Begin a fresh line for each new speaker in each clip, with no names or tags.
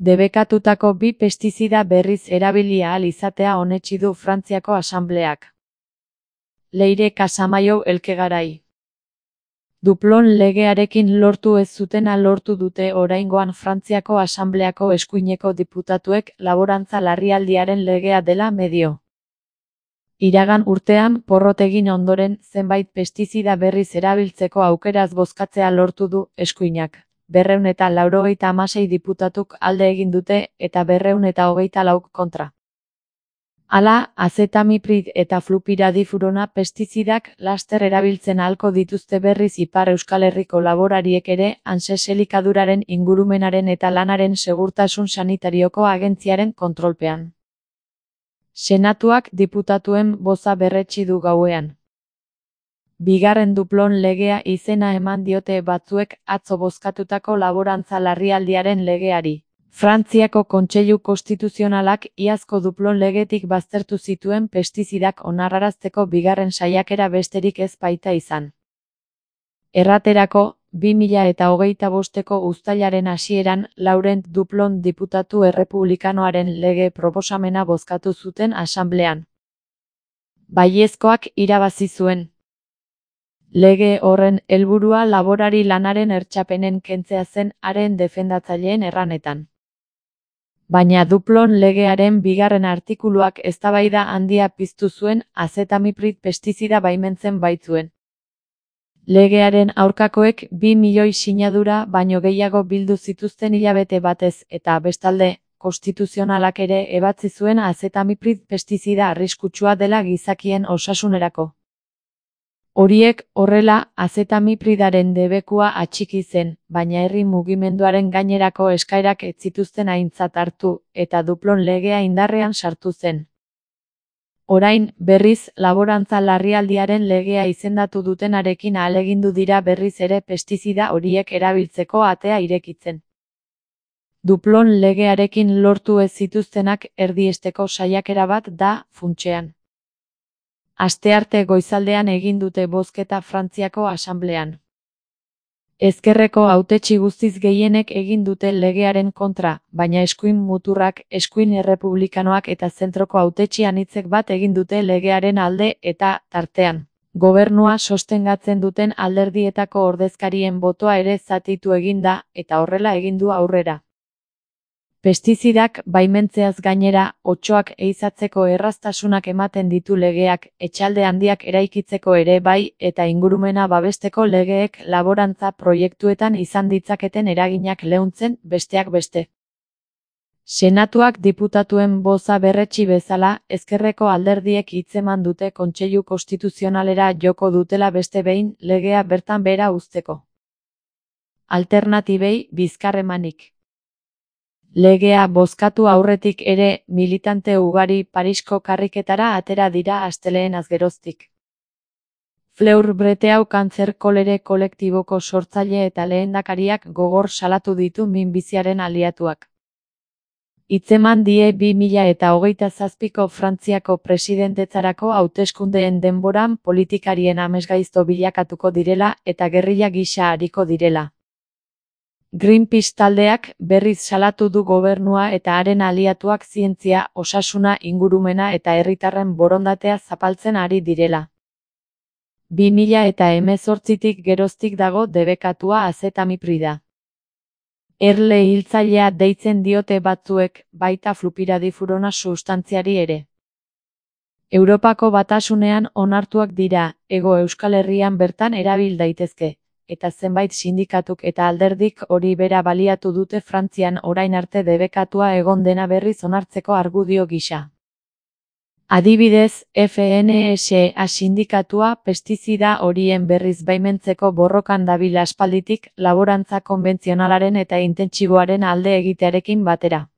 Debekatutako 2 pestizida berriz erabili ahal izatea onetsi du Frantziako Asanbleak. Leire Casamaiu Elkegarai. Duplon legearekin lortu ez zutena lortu dute oraingoan Frantziako Asanbleako eskuineko diputatuek laborantza larrialdiaren legea dela medio. Iragan urtean porrot egin ondoren zenbait pestizida berriz erabiltzeko aukeraz bozkatzea lortu du eskuinak. 296 diputatuk alde egin dute eta 224 kontra. Hala, azetamiprid eta flupiradifurona pestizidak laster erabiltzen ahalko dituzte berriz Ipar Euskal Herriko laborariek ere ANSES elikaduraren ingurumenaren eta lanaren segurtasun sanitarioko agentziaren kontrolpean. Senatuak diputatuen boza berretsi du gauean. Bigarren duplon legea izena eman diote batzuek atzo bozkatutako laborantza larrialdiaren legeari. Frantziako Kontseilu Konstituzionalak iazko duplon legetik baztertu zituen pestizidak onarrarazteko bigarren saiakera besterik ez baita izan. Erraterako, 2025ko uztailaren hasieran Laurent Duplon diputatu errepublikanoaren lege proposamena bozkatu zuten asanblean. Baiezkoak irabazi zuen. Lege horren helburua laborari lanaren hertsapenen kentzea zen haren defendatzaileen erranetan. Baina Duplon legearen bigarren artikuluak eztabaida handia piztu zuen azetamiprid pestizida baimentzen baitzuen. Legearen aurkakoek 2 milioi sinadura baino gehiago bildu zituzten hilabete batez eta bestalde, konstituzionalak ere ebatzi zuen azetamiprid pestizida arriskutsua dela gizakien osasunerako. Horiek horrela azetamipridaren debekua atxiki zen, baina herri mugimenduaren gainerako eskaerak ez zituzten aintzat hartu eta Duplon legea indarrean sartu zen. Orain, berriz, laborantza larrialdiaren legea izendatu dutenarekin ahalegindu dira berriz ere pestizida horiek erabiltzeko atea irekitzen. Duplon legearekin lortu ez zituztenak erdiesteko saiakera bat da, funtsean. Astearte goizaldean egin dute bozketa Frantziako Asanblean. Ezkerreko hautetsi guztiz gehienek egin dute legearen kontra, baina eskuin muturrak, eskuin errepublikanoak eta zentroko hautetsi anitzek bat egin dute legearen alde eta, tartean, gobernua sostengatzen duten alderdietako ordezkarien botoa ere zatitu egin da, eta horrela egin du aurrera. Pestizidak baimentzeaz gainera, otsoak ehizatzeko erraztasunak ematen ditu legeak, etxalde handiak eraikitzeko ere bai, eta ingurumena babesteko legeek laborantza proiektuetan izan ditzaketen eraginak leuntzen, besteak beste. Senatuak diputatuen boza berretsi bezala, ezkerreko alderdiek hitzeman dute Kontseilu Konstituzionalera joko dutela beste behin legea bertan behera uzteko. Alternatibei bizkarremanik. Legea bozkatu aurretik ere, militante ugari Parisko karriketara atera dira astelehen azgeroztik. Fleur Breteuil kantzer kolere kolektiboko sortzaile eta lehendakariak gogor salatu ditu minbiziaren aliatuak. Hitzeman die 2027ko Frantziako presidentetzarako hauteskundeen denboran politikarien amesgaizto bilakatuko direla eta gerrilla gisa ariko direla. Greenpeace taldeak berriz salatu du gobernua eta haren aliatuak zientzia, osasuna, ingurumena eta herritarren borondatea zapaltzen ari direla. 2018tik geroztik dago debekatua azetamiprida. Erle hiltzailea deitzen diote batzuek, baita flupiradifurona substantziari ere. Europako Batasunean onartuak dira, Hego Euskal Herrian bertan erabil daitezke. Eta zenbait sindikatuk eta alderdik hori bera baliatu dute Frantzian orain arte debekatua egon dena berriz onartzeko argudio gisa. Adibidez, FNSA sindikatua pestizida horien berriz baimentzeko borrokan dabil aspalditik laborantza konbentzionalaren eta intentsiboaren alde egitearekin batera.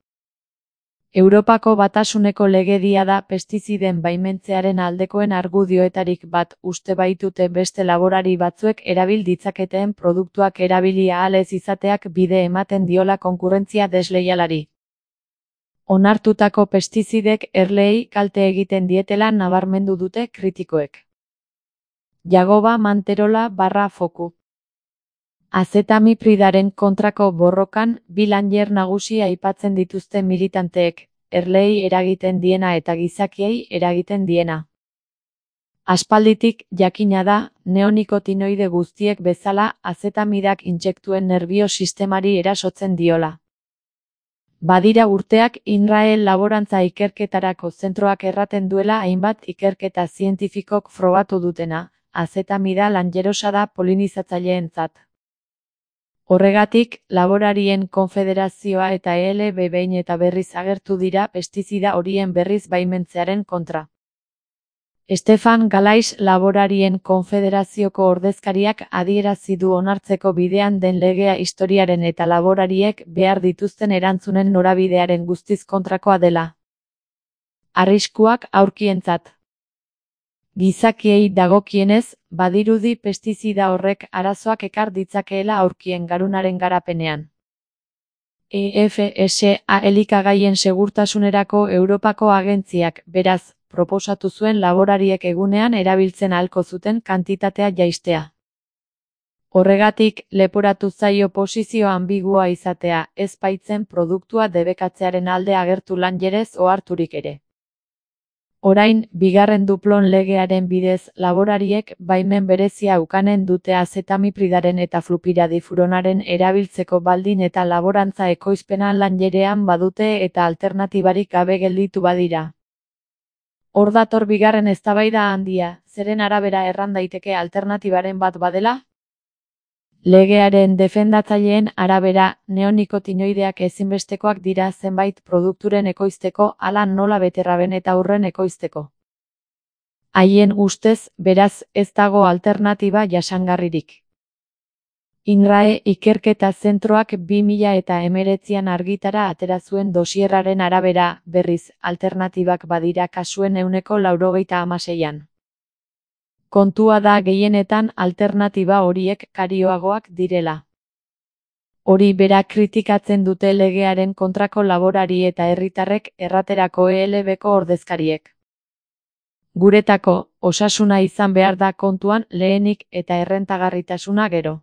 Europako Batasuneko legedia da pestiziden baimentzearen aldekoen argudioetarik bat uste baitute beste laborari batzuek erabil ditzaketeen produktuak erabili ahal ez izateak bide ematen diola konkurrentzia desleialari. Onartutako pestizidek erleei kalte egiten dietela nabarmendu dute kritikoek. Jagoba Manterola /Foku Azetamipridaren kontrako borrokan bi langer nagusi aipatzen dituzte militanteek, erleei eragiten diena eta gizakiei eragiten diena. Aspalditik jakina da, neonikotinoide guztiek bezala azetamidak intsektuen nerbio sistemari erasotzen diola. Badira urteak INRAE laborantza ikerketarako zentroak erraten duela hainbat ikerketa zientifikok frogatu dutena, azetamida langerosa da polinizatzaileentzat. Horregatik, laborarien konfederazioa eta ELB behin eta berriz agertu dira pestizida horien berriz baimentzearen kontra. Stefan Galais laborarien konfederazioko ordezkariak adierazi du onartzeko bidean den legea historiaren eta laborariek behar dituzten erantzunen norabidearen guztiz kontrakoa dela. Arriskuak aurkientzat. Gizakiei dagokienez, badirudi pestizida horrek arazoak ekar ditzakeela aurkien garunaren garapenean. EFSA elikagaien segurtasunerako Europako agentziak, beraz, proposatu zuen laborariek egunean erabiltzen ahalko zuten kantitatea jaistea. Horregatik, leporatu zaio posizio ambigua izatea, ez baitzen produktua debekatzearen alde agertu langerez oharturik ere. Orain, bigarren duplon legearen bidez, laborariek baimen berezia ukanen dute azetamipridaren eta flupiradifuronaren erabiltzeko baldin eta laborantza ekoizpena langerean badute eta alternatibarik gabe gelditu badira. Hor dator bigarren eztabaida handia, zeren arabera erran daiteke alternatibaren bat badela? Legearen defendatzaileen arabera, neonikotinoideak ezinbestekoak dira zenbait produkturen ekoizteko, hala nola beterraben eta urren ekoizteko. Haien ustez, beraz, ez dago alternatiba jasangarririk. INRAE ikerketa zentroak 2019an argitara atera zuen dosierraren arabera, berriz, alternatibak badira kasuen 96%. Kontua da gehienetan alternatiba horiek karioagoak direla. Hori bera kritikatzen dute legearen kontrako laborari eta herritarrek erraterako ELBko ordezkariek. Guretako, osasuna izan behar da kontuan lehenik eta errentagarritasuna gero.